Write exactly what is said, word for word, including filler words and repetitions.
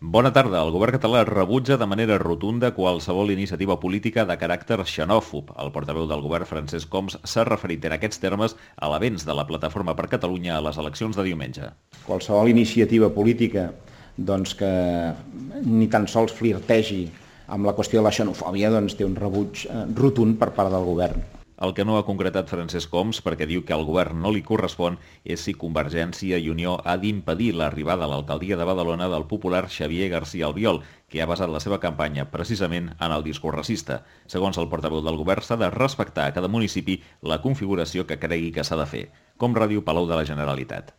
Bona tarda. El govern català rebutja de manera rotunda qualsevol iniciativa política de caràcter xenòfob. El portaveu del govern, Francesc Homs, s'ha referit en aquests termes a l'avenç de la Plataforma per Catalunya a les eleccions de diumenge. Qualsevol iniciativa política doncs, que ni tan sols flirtegi amb la qüestió de la xenofòbia doncs, té un rebuig eh, rotund per part del govern. El que no ha concretat Francesc Homs, perquè diu que al govern no li correspon, és si Convergència i Unió ha d'impedir l'arribada a l'alcaldia de Badalona del popular Xavier García Albiol, que ha basat la seva campanya precisament en el discurs racista. Segons el portaveu del govern, s'ha de respectar a cada municipi la configuració que cregui que s'ha de fer. Com Ràdio Palau de la Generalitat.